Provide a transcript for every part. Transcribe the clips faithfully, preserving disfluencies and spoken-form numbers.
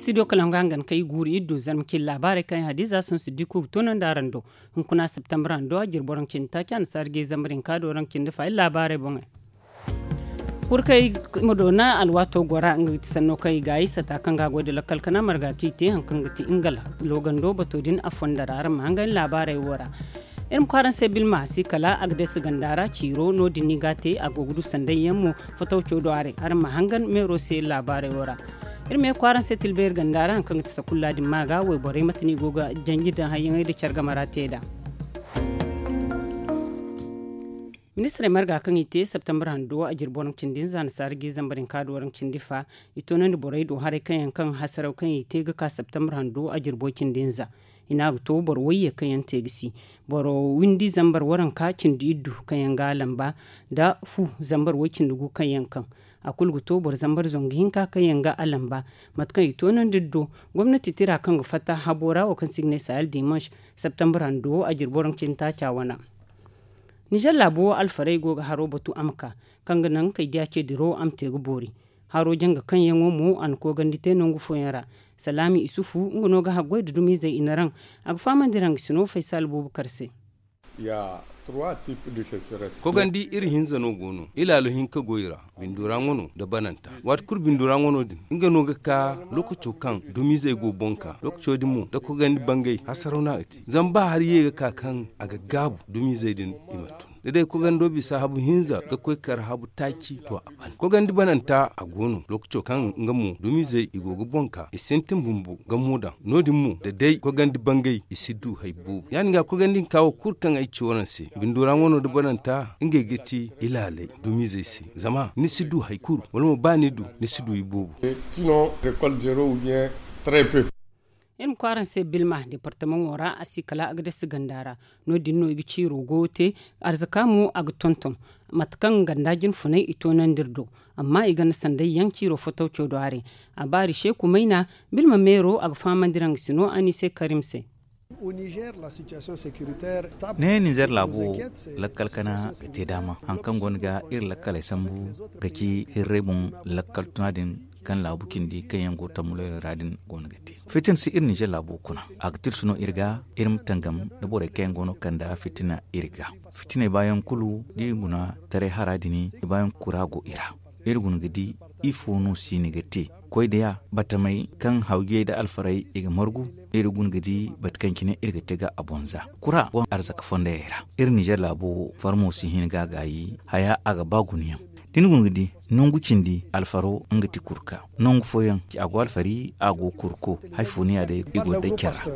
Studio kala nga hangan kay guuri iddu zarma cin laabaarey kaŋ yaŋ hadiza sun si di kuugu toonandi araŋ do. Hunkuna septembre hando a jiri boro nga cindi taaci annasaara ga i zambar hinka do raŋ cindi fa iri laabaarey boŋey. Kurkey ma doona alwaato gora nga ga ti sanno kaŋ i gaayi sata kaŋ ga a goy nda lakkal kana marga kaŋ i te haŋ kaŋ ga ti ingal loogando bato din a fonda ra araŋ ma hangan laabaarey wo ra. Iri ma kwaaraŋ se bilma si kala a ga deesi ganda ra ciiro no- din ni ga a te a go ga du sanday yaŋ mo. Fatawco do a ra araŋ ma hangan meero se laabaarey wo ra. Iri ma ye kwaaraŋ se tilbeeri ganda ra haŋ kaŋ ga ti sakulla din ma ga wayborey mate no i go ga janji nda hayyaŋey nda care game ra te nd'a. Ministirey marga kaŋ i te septembre hando a jirbo raŋ cindi hinza annasaara ga i zambar hinka do raŋ cindi fa. I toonandi borey do haray kaŋ yaŋ kaŋ hasaraw kaŋ i te ga ka septembre hando a jirbo cindi hinza. I ne a ga to boro wayye kaŋ yaŋ te ga si boro windi zambar waranka cindi iddu kaŋ yaŋ ga a lamba nda fu zambar way cindi gu kaŋ yaŋ kaŋ a kulu ga to boro zambar zangu hinka kaŋ yaŋ ga a lamba. Mate kaŋ i toonandi iri do gomnati tira kaŋ ga fatta habo ra wo kaŋ se i ga ne sahel dimanche septembre hando a jirbo raŋ cindi taaca wana. Nizer laabo alfarey go ga haro batu a ma ka kaŋ ga naŋ kay diya ce diro a ma te ga boori. Haro janga kaŋ yaŋo mo a na koogandi te nangu fooyaŋ ra. Salaami isufu nga no ga haggoy nda dumizey i na raŋ. A ga fahamandi raŋ ga sino faysal boobo kar se. Koogandi iri hinza no go no ilaalo hinka go i ra. Bindura ŋwano nda bananta waati kulu bindura ŋwano din nga no ga ka lookaco kaŋ dumizey go boŋ ka lookaco din mo nda koogandi bangay hasaraw no a ga te zama ba hari ye ga ka kaŋ a ga gaabu dumizey din i ma tun da day koogando bisa habu hinza ga koy kar habu taaci to a ban koogandi bananta a go no lookaco kaŋ nga mo dumizey i go ga boŋ ka i sintin bumbo ga mo daŋ no- din mo da day koogandi bangay i si du hay boobo ya- din ga koogandi hinka wo kulu kaŋ ay ci waraŋ se bindura ŋwano nda bananta ngey ga ti ilaalay dumizey se zama ni si du hay kulu wala mo ba ni du ni si du iboobo. Iri ma koy araŋ se bilma departamaŋo ra a si kala a ga dasi ganda ra. No- din no i ga ciiro goyo te arzaka mo a ga tonton mate kaŋ ganda jinfunay i toonandi iri do. Amma i ganda sanday yaŋ ciiro fotawco do haray. A baari seeku mayna bilma meero a ga fahamandi raŋ ga sino anise karim se. Ne nizer laabo lakkal kana ga te daama haŋ kaŋ go no ga iri lakkaley sambu ga ci hirray boŋ lakkal tuna din kaŋ laabu cindi kaŋ yaŋ go tammuloyra ra din go no ga te. Fitina si iri nizer laabo kuna a ga tirsu no iri ga iri ma tangam da borey kaŋ yaŋ go no kanda fitina iri ga. Fitiney baayaŋ kulu da i guna taray hara din i baayaŋ kura go i ra. Iri guna ga di ifo no siini ga te koy da ya batamey kaŋ hawjey nda alfarey i ga margu. Iri guna ga di bate kaŋ cine iri ga te ga a bonza kura boŋ arzaka fondayey ra. Iri nizer laabo farmo si hin ga a gaayi haya a ga ba gunayaŋ da ni guna ga di nangu cindi alfaro nga ti kurka nangu fooyaŋ ci a go alfari a go kurko hari fo ni ya day i go day care ra.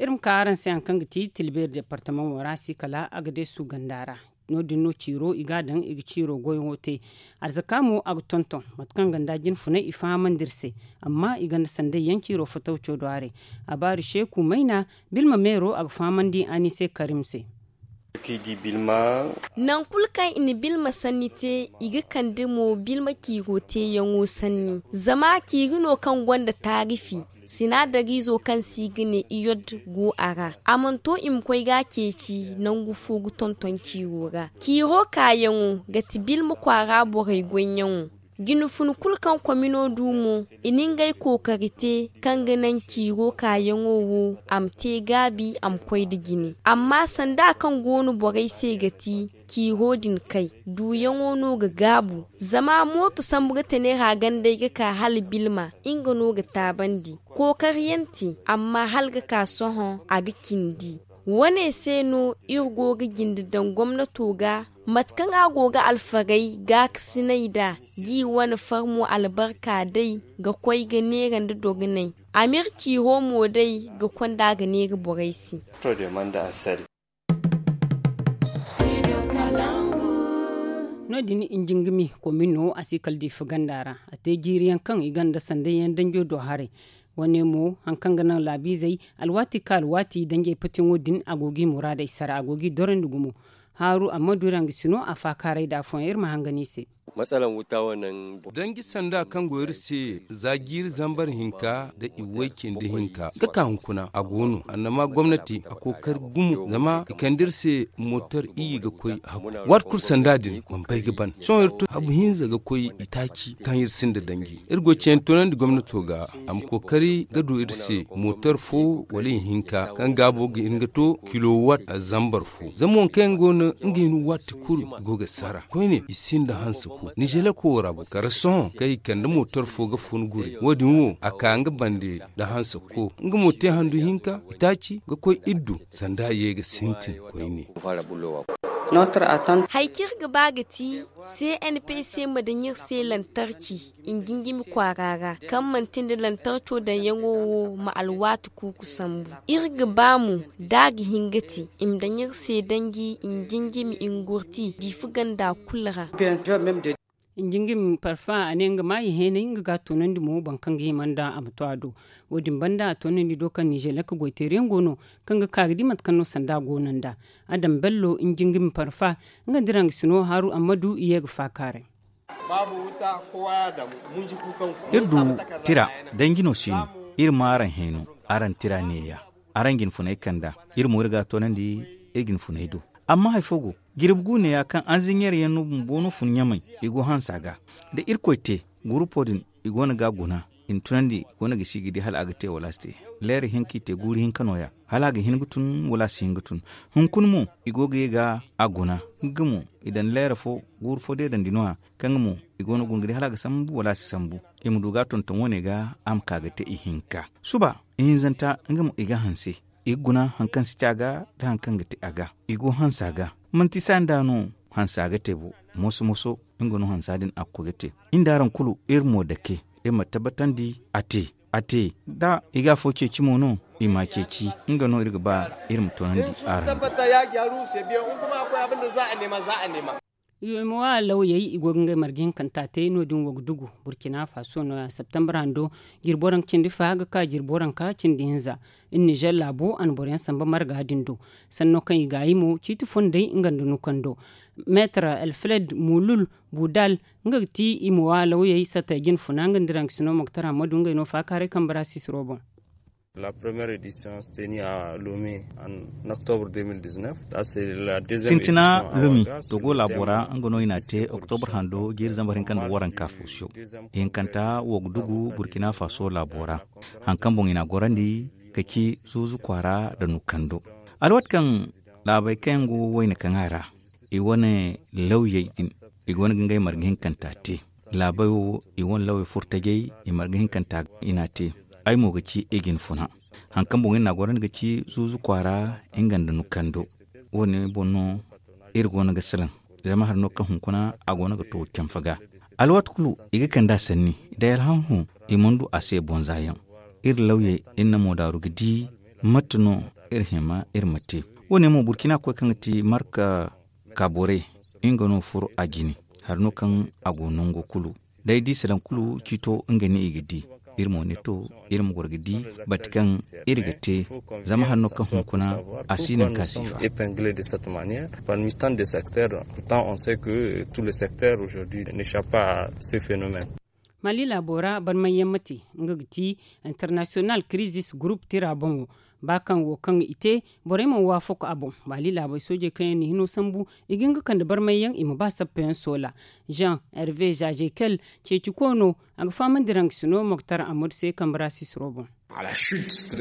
Iri ma ka araŋ se haŋ kaŋ ga ti tilbeeri departamaŋo ra si kala a ga deesu ganda ra. No- din no ciiro i ga a daŋ i ga ciiro goyaŋo te. Arzaka mo a ga tonton mate kaŋ ganda jinfunay i fahamandi iri se. Amma i ganda sanday yaŋ ciiro fotawco do haray. A baari seeku mayna bilma meero a ga fahamandi anise karim se. Nangu kulu kaŋ i na bilma sanni te i ga kande mo bilma ciiro teeyaŋo sanni zama ciiri no kaŋ gonda taarifi. Sinaadariizo kaŋ se i ga ne iyod go a ra. A mana to i ma koy ga a ceeci nangu fo ga tonton ciiro ra. Ciiro kaayaŋo ga ti bilma kwaara borey goyyaŋo. Jinfun kulu kaŋ komino du mo i na ngey kookari te kaŋ ga naŋ ciiro kaayaŋo wo a ma te gaabi a ma koy nda jine. Amma sanda kaŋ go no borey se ga ti ciiro din kay duuyaŋo no ga gaabu. Zama mooto sambu ga tanera gandey ga ka hala bilma nga no ga taabandi. Kookariyaŋ te amma hala ga ka sohõ a ga cindi. Wane se no iri go ga jinde daŋ gomnato ga mate kaŋ a go ga alfarey gaakasinay nd'a. Ji wane farmo albarka day ga koy ga neera nda dogonay. A m'iri ciiro mo day ga konda ga neera borey se. No- din injingami komino a si kala diifa ganda ra. A te jiiriyaŋ kaŋ i gonda sanday yaŋ danjo do haray. Wane mo hari kaŋ ga naŋ laabiizey alwaati ka alwaati danjey patiyaŋo din a go ga i muraadey sara a go ga i dorandi gumo. Haaru amma du ra nga si no a faakaaray da afooyaŋ iri ma hangan i se. Danji sanda kaŋ go iri se za jiiri zambar hinka nda iway cindi hinka ga ka hunkuna a go no annama gomnati a kookari gumo zama i kande iri se mootor iyye ga koy haku. Waati kulu sanda din mana bay ga ban sohõ iri tun habu hinza ga koy itaaci kaŋ iri sinda danji iri go ceeni toonandi gomnato ga a ma kookari ga du iri se mootor fo wala ihinka kaŋ gaabo ga hin ga to kilowatt zambar fo zama waŋ kaŋ yaŋ go no nga hin waati kulu i go ga sara koyne i sinda hanse ko nizeleko wo ra bo kala sohõ kaŋ i kande mootor fo ga fun guri wo- din wo a ka nga bande nda hanse ko nga mo te handu hinka itaaci ga koy iri do sanda ye ga sintin koyne. Hari kaŋ iri ga ba ga ti cnpc ma daŋ iri se lantarki i na jinjimi kwaara ra kaŋ manti nda lantarco daŋyaŋo wo ma alwaati kuuku sambu. Iri ga ba mo da a ga hin ga te i ma daŋ iri se danji i na jinjimi i na gurti diifa ganda kulu ra. Jinjimi parfa a ne nga ma i heenay nga ga a toonandi mo boro kaŋ ga hima nda a ma to a do. Wo- din banda a toonandi do kaŋ nizelek goyteeriyaŋ go no kaŋ ga ka ga di mate kaŋ no sanda go no nda adam bello jinjimi parfa nga nda iraŋ ga sino haaru ammadu i ye ga faakaaray. Iri du tira danji no se no iri ma araŋ hẽeno araŋ tira neeya araŋ ga ni funay kanda iri mo iri ga a toonandi iri ga ni funay do. Amma hari fo go jirbi gu neeya kaŋ anziɲeer yaŋ no bumbo no fun ɲamay i go hansa ga da irkoy te gurupo din i go no ga a guna i na tunandi i go no ga si ga di hala a ga te wala a si te. Leera hinka i te guuru hinka no- ya hala a ga hin ga tun wala a si hin ga tun. Hunkuna mo i go ga ye ga a guna nga mo i daŋ leera fo guuru fo deedandi no- ya kaŋ nga mo i go no ga guna ga di hala a ga sambu wala a si sambu. I ma du ga a tonton wo- ne ga a ma ka ga te ihinka suba ihinzanta nga mo i ga hanse i ga guna hari kaŋ si te a ga nda hari kaŋ ga te a ga i go hansa ga. Manti saani da no hansa ga te bo moso moso nga no hansa din a ga koy ga te. Iri nda araŋ kulu iri mo dake iri ma tabbatandi a te a te da i ga afo ceeci mo no i ma a ceeci. Nga no iri ga ba iri ma toonandi araŋ. Yomowa lawyey i go ga ngey marga hinkanta te no- din wo ga dugu burkina faso no- ya septembre hando jirbo raŋ cindi fa ga ka jirbo raŋ ka cindi hinza. Iri nizer laabo a na boro yaŋ samba marga din do sanno kaŋ i ga a yi mo ciiti fondey nga nda nukando. Meetar alfred mulul budal nga ga ti i ma wa lawyey sattey jine funa nga nda iraŋ ga sino moktar hammadu ngey no faakaaray kambe ra sisiro boŋ. La première édition se teni a lome en octobre deux mille dix-neuf. Sintina lumi togo laabo ra nga no i n'a te octobre hando jiiri zambar hinka nda waranka fo siyo. Hinkanta wo ga dugu burkina faso laabo ra hari kaŋ boŋ i n'a gorandi ga ci zuuzu kwaara nda nukando. Alwaati kaŋ laabey kaŋ yaŋ go wayne kaŋ a ra i wane lawyey din i go no ga ngey marga hinkanta te. Laabey wo i wane lawey furtajey i marga hinkanta i n'a te. Ay mo ga ci i ga ni funa hari kaŋ boŋ iri n'a gorandi ga ci zuuzu kwaara nga nda nukando. Wo- ne boŋ no iri go no ga salaŋ zama hari no kaŋ hunkuna a go no ga to camfa ga. Alwaati kulu i ga kand'a sanni day alhamhu i mana du a se bonza yaŋ. Iri lawyey iri na moodaaru ga di mate no iri hima iri ma te. Wo- ne mo burkina koy kaŋ ga ti marka ka borey nga no furo a jine. Hari no kaŋ a go nango kulu day di salaŋ kulu ciito nga ne i ga di. Iri mo ne to iri ma goro ga di bate kaŋ iri ga te zama hari no kaŋ hunkuna a si naŋ ka sifa. Parmi tant de secteurs pourtant on sait que tous les secteurs aujourd'hui ne chappe pas à ce phénomène. Mali laabo ra barmayyaŋ ma te nga ga ti international crisis group tira boŋo. Ba kaŋ wo kaŋ i te borey mana waafaku a boŋ. Mali laabey soojey kaŋ yaŋ na hino sambu i ga hin ga kande barmayyaŋ i ma ba sappayaŋ soola. Jean hervé jajekel ceeci koono a ga fahamandi raŋ ga sino moktar amadu se kambe ra sisiro boŋ.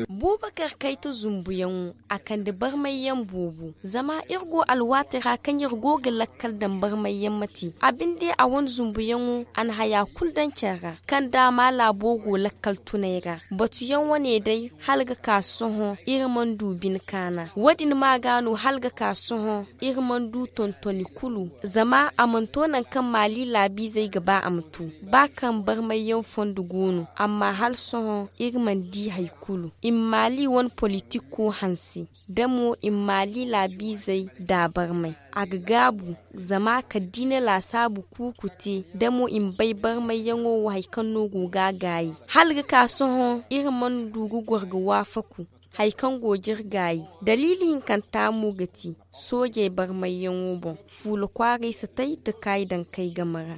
Buubakar kayta zumbuyaŋo a kande barmayyaŋ boobo zama iri go alwaati ra kaŋ iri go ga lakkal daŋ barmayyaŋ ma te a binde a wane zumbuyaŋo a na haya kulu daŋ care ra kaŋ daama laabo go lakkal tunay ra. Batuyaŋ wane day hala ga ka sohõ iri mana du bine kaana wo- din ma ga no hala ga ka sohõ iri mana du tontoni kulu. Zama a mana to nangu kaŋ maali laabiizey ga ba a ma to ba kaŋ barmayyaŋ fondo go no amma hala sohõ iri mana di hari kulu i ma maali wane politiko hanse da mo i ma maali laabiizey da barmay. A ga gaabu zama kala da i na laasaabu kuuku te da mo i ma bay barmayyaŋo wo hari kaŋ no go ga a gaayi hala ga ka sohõ iri mana du ga goro ga waafaku. Hari kaŋ go ga iri gaayi daliili hinkanta mo ga ti soojey barmayyaŋo boŋ, fuula kwaaray satay nda kaayi daŋ kay game ra.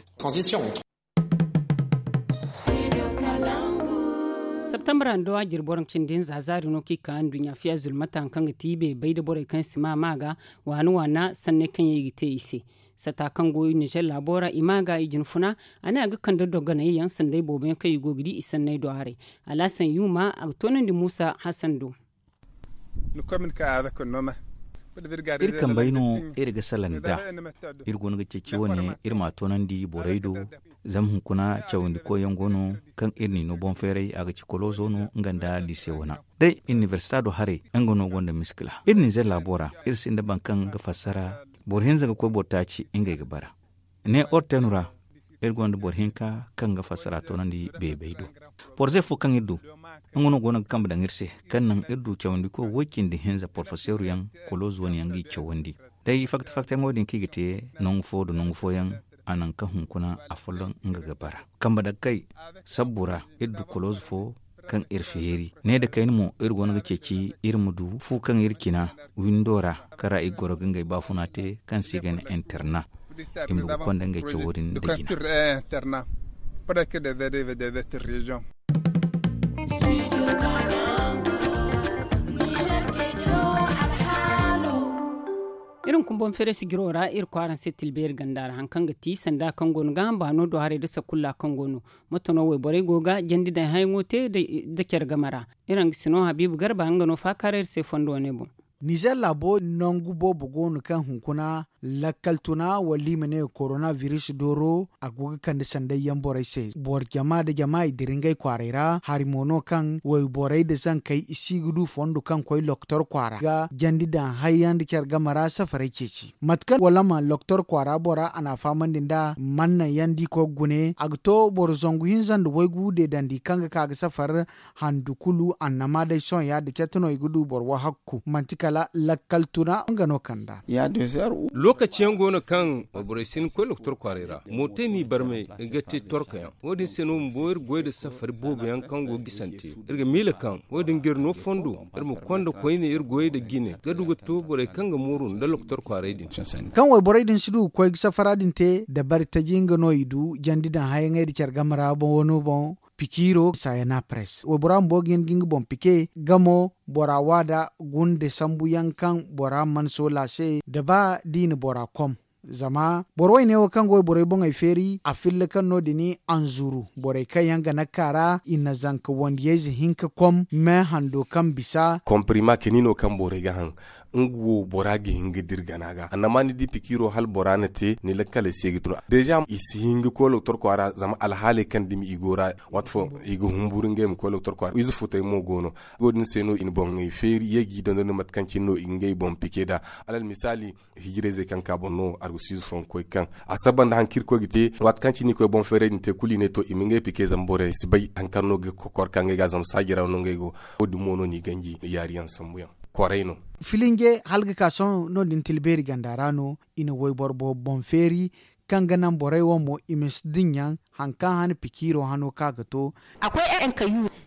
Septambra nda wa jirbi boro cindi hinza zaari no kaŋ i ka nduɲɲa fiya zulmata hari kaŋ ga ti beebay nda borey kaŋ si ma ma ga waana waana sanney kaŋ yaŋ i ga te i se. Sata kaŋ go nizer laabo ra i ma ga i jinfuna a ne a ga kande dogonay yaŋ sanday boobo yaŋ kaŋ i go ga di i sanney do haray. Alhasan yuuma a ga toonandi muusa hasan do. Iri kambey no iri ga salaŋ nd'a. Iri go no ga ceeci wane iri m'a toonandi borey do. Zama hunkuna cawandikoy yaŋ go no kaŋ iri n'i no boŋ feeray a ga ci kolozo no nga nda liise wana day inibersita do haray. Nga no gonda miskila iri nizer laabo ra. Iri sinda boro kaŋ ga fassara boro hinza ga koy boro taaci ngey ga bara. Ne ortenu ra iri gonda boro hinka kaŋ ga fassara toonandi beebay do. Porze fo kaŋ iri du nga no go no ga kambe daŋ iri se kaŋ naŋ iri du cawandiko woy-cindi hinza porfeseru yaŋ kolozo wane yaŋ g'i cawandi. Day fakta-faktayaŋo din kaŋ i ga te nangu fo nda nangu fooyaŋ a naŋ kaŋ hunkuna afolloŋ nga ga bara kambe daŋ kay. Sabbu ra iri du kolozo fo kaŋ iri feeri ne nda kayna mo iri go no ga ceeci iri ma du fu kaŋ iri cina windo ra kaŋ ra i ga goro ga ngey baafuna te kaŋ se i ga ne interna. I ma du ga konda ngey cawo din nda jina. Iri hunkuna boŋ feeray sijiro ra iri kwaaraŋ se tilbeeri ganda ra hari kaŋ ga ti sanda kaŋ go no ga hamba no do haray nda sakulla kaŋ go no. Moto no wayborey go ga jandi daŋ hayaŋo te nda care game ra. Iri hangasino habiibu garba nga no faakaaray iri se fondo wane boŋ. Nizer laabo nangu boobo go no kaŋ hunkuna lakkal tuna wala i ma ne korona biris dooro a go ga kande sanday yaŋ borey se boro jama nda jama i dira ngey kwaaray ra hari mo no kaŋ wayborey nda zankey i si ga du fondo kaŋ koy lokotor kwaara ga jandi daŋ hari yaŋ nda care game ra safarey ceeci mate kaŋ wala ma lokotor kwaara bora a n'a fahamandi nd'a man naŋ yaŋ da i koy ga gune a ga to boro zangu hinza nda waygu deedandi kaŋ ga ka ga safar handu kulu annama day sohõ ya- din cete no i ga du boro wahakku manti kala lakkal tuna nga no kand'a. Lookaci yaŋ go no kaŋ wayborey si hin ga koy lokotor kwaaray ra mootey n'i barmay ga te torka yaŋ wo- din se no bumbo iri goy nda safari boobo yaŋ kaŋ go ga gisante. Iri ga miila kaŋ wo- din ga iri no fondo iri ma konda koyne iri goyey nda jine ga du ga to borey kaŋ ga mooru nda lokotor kwaaray din. Kaŋ wayborey din si du ga koy ga safara din te dabari taji nga no i du jandi daŋ hayaŋey nda care game ra boŋ wano boŋ. Pikiiro sayana press waybora bumbo ga hin ga nga boŋ pike gamo bora waada gunda sambu yaŋ kaŋ bora mana soola se da ba da i na bora kom. Zama boro wayne wo kaŋ ga wayborey boŋey feeri a filla kaŋ no- din anzuru borey kaŋ yaŋ ga naka ra i na zanka wandiyayze hinka kom me hando kaŋ bisa. Komprima kani no kaŋ borey ga haŋ nga wo bora ga hin ga dira gana ga annama ni di pikiiro hala bora na te ni lakkaley se ga tun deeza i si hin ga koy lokotor kwaara zama alhaaley kaŋ dumi i go ra. Waati fo i ga humburu ngey ma koy lokotor kwaara ize futey mo go no. Wo- din se no i na boŋey feeri ye g'i dondon mate kaŋ cine no i ga ngey boŋ pike nd'a. Alal misaali hijirayzey kaŋ ka boŋ no argusiize fooyaŋ ga koy ga kaŋ a saba nda hari kaŋ iri koy ga te. Waati kaŋ cine i koy boŋ feeray din te kulu i ne to i ma ngey pike zama borey si bay hari kaŋ no ga kokor ka ngey ga zama saaji ra no ngey go. Wo- din mo no n'i ganji yaari yaŋ sambu yaŋ koray no. Filinje hala ga ka sohõ no- din tilbeeri ganda ra no i na wayboro boobo boŋ feeri kaŋ ga naŋ borey wo mo i ma si dinya hari kaŋ han pikiiro hano kaŋ a ga to.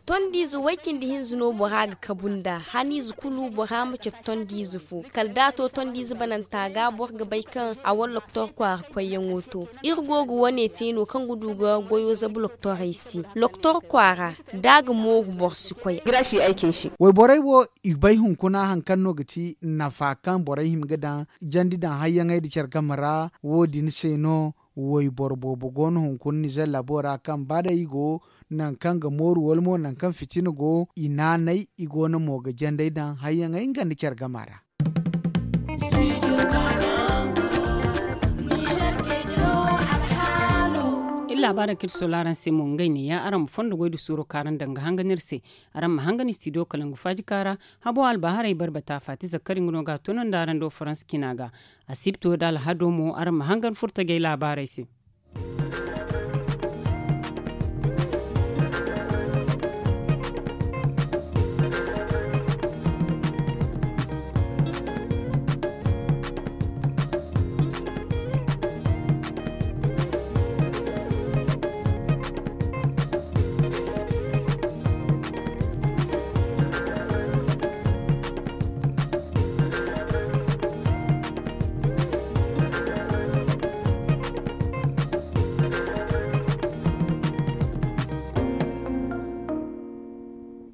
Tondiize way-cindi hinza no bora ga kabu nd'a haniize kulu bora ma cabe tondiize fo kala da a to tondiize bananta ga boro ga bay kaŋ a wane lokotor kwaara koyyaŋo to. Iri go ga wane te no kaŋ ga du ga goyo zabu lokotorey se lokotor kwaara da a ga mooru boro si koy. Wayborey wo i bay hunkuna hari kaŋ no ga ti nafa kaŋ borey hima ga daŋ jandi daŋ hayyaŋey nda care game ra. Wo- din se no wayboro boobo go no hunkuna nizer laabo ra kaŋ ba day i go nangu kaŋ ga mooru wala mo nangu kaŋ fitina go i naanay i go no mo ga jandey daŋ hayyaŋey nga nda care game ra. Iri laabaarey kaŋ iri soola araŋ se mo ngey ne ya araŋ ma fondo goy nda suuro kaŋ araŋ daŋ ga hangan iri se. Araŋ ma hangan istidiyo kalangu faajika ra. Habo albaharay barbata faati zakkari nga no ga a tunandi araŋ do faransa cina ga. Asibto nda alhado mo araŋ ma hangan furtajey laabaarey se.